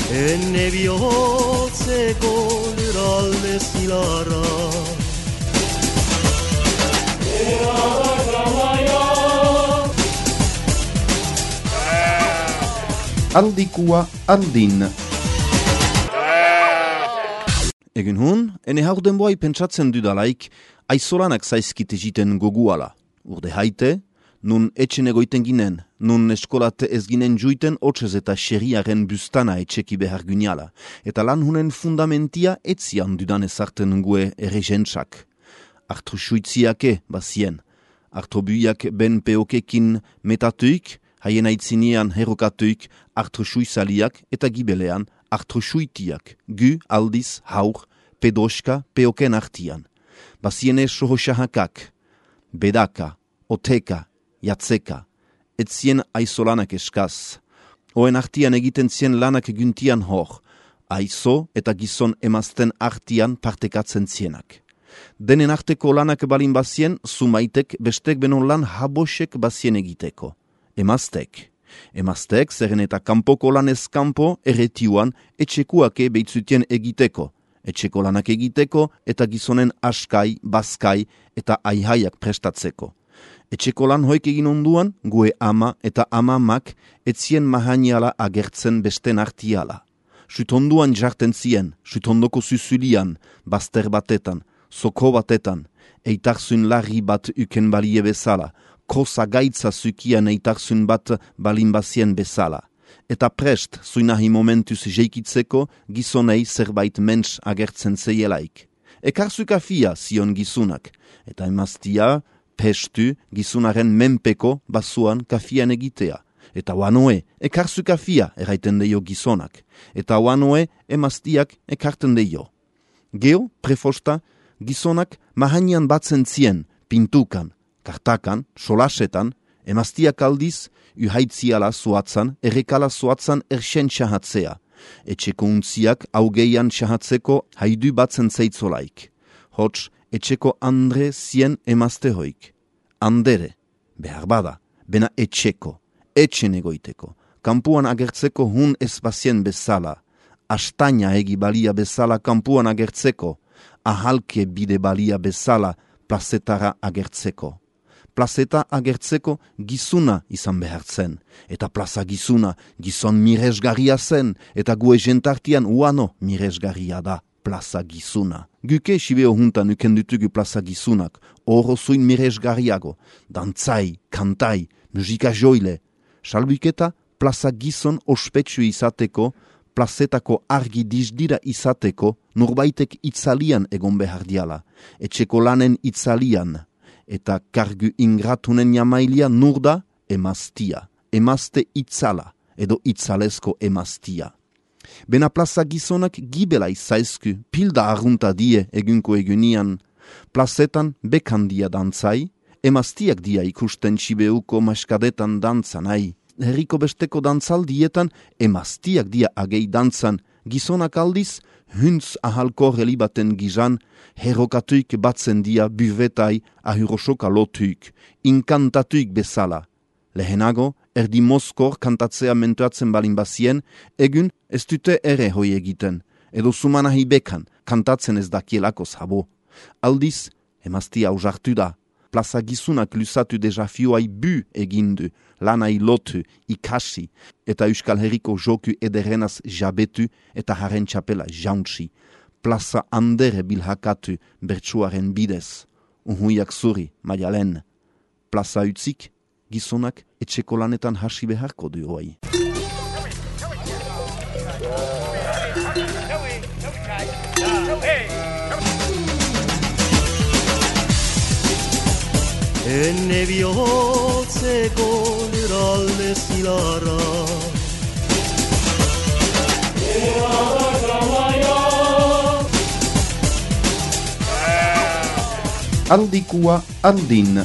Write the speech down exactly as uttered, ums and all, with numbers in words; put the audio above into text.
Enne bihotzeko lurralde zilarra Handikua handin. Egun hun, ene haur denboai pentsatzen dudalaik, aizolanak zaizkite jiten goguala. Urde haite, nun etxen egoiten ginen, nun eskolate ez ginen juiten otxez eta xeriaren bustana etxeki behar gyniala. Eta lan hunen fundamentia etzian dudan ezarten gue ere jentsak. Artru suitziake bazien. Artru buiak ben peokekin metatuik, haien aitzinean herokatuik artru suizaliak eta gibelean artru suitiak, gu aldiz haur, pedoska peoken artian. Baziene sohoxahakak, bedaka, oteka, jatzeka, etzien aizolanak eskaz. Oen artian egiten zien lanak guntian hor, aizo eta gizon emazten artian partekatzen zienak. Denen arteko lanak balin bazien, sumaitek bestek benon lan habosek bazien egiteko. Emaztek. Emaztek zerren eta kanpoko lanez kanpo erretiuan etxekuake behitzutien egiteko. Etxeko lanak egiteko eta gizonen askai, bazkai eta aihaiak prestatzeko. Etxeko lan hoik egin onduan, gue ama eta amamak etzien mahaniala agertzen besten artiala. Sutonduan jarten zien, sutondoko zuzulian, bazter batetan, soko batetan, eitarzun larri bat uken balie bezala, kosa gaitza zukian eitarzun bat balin bazien bezala. Eta prest, zuinahi momentuz jeikitzeko, gizonei zerbait mens agertzen zeielaik. Ekarzuka fia zion gizunak, eta emaztia, pestu, gizunaren menpeko basuan kafian egitea. Eta wanoe, ekarzuka fia erraiten deio gizonak, eta wanoe emaztiak ekarten deio. Geo, prefosta, gizonak mahanian batzen zien, pintukan, kartakan, solasetan, emaztiak aldiz, uhaitziala zuatzan, errekala zuatzan ersen txahatzea. Etxeko untziak augeian txahatzeko haidu batzen zeitzolaik. Hots, etxeko andre zien emazte hoik. Andere, behar bada, bena etxeko, etxen egoiteko. Kampuan agertzeko hun ez bazien bezala. Astaina egi balia bezala kampuan agertzeko. Ahalke bide balia bezala plazetara agertzeko. Plazeta agertzeko gizuna izan behartzen. Eta plaza gizuna gizon miresgarria zen, eta gue jentartian uano miresgarria da plaza gizuna. Guke sibeo juntan ukendutugu plaza gizunak, oro zuin miresgarriago, dantzai, kantai, musika joile. Salbuketa plaza gizon ospetsu izateko, plazetako argi dizdira izateko, nurbaitek itzalian egon behar diala, etxeko lanen itzalian, eta kargu ingratunen jamailia nurda emaztia, emazte itzala, edo itzalezko emaztia. Bena plaza gizonak gibela izaizku, pilda arrunta die egunko egunian, plazetan bekandia dantzai, emaztiak dia ikusten txibeuko maskadetan dantzanai. Herriko besteko dantzaldietan emaztiak dia agei dantzan, gizonak aldiz, huntz ahalko relibaten gizan, herokatuik batzen dia buvetai ahurosoka lotuik, inkantatuik bezala. Lehenago, erdi moskor kantatzea mentuatzen balin bazien, egun ez dute ere hoi egiten, edo sumanahi bekan, kantatzen ez dakielako zabo. Aldiz, emaztia ausartu da. Plaza gizunak lusatu desafioai bu egindu, lanai lotu, ikasi, eta Euskal Herriko joku ederenaz jabetu eta haren txapela jauntsi. Plaza andere bilhakatu bertsuaren bidez. Unhuiak zuri, maialen. Plaza utzik, gizonak etxeko lanetan hasi beharko du hoi. Enne bihotzeko lurralde zilarra Handikua handin.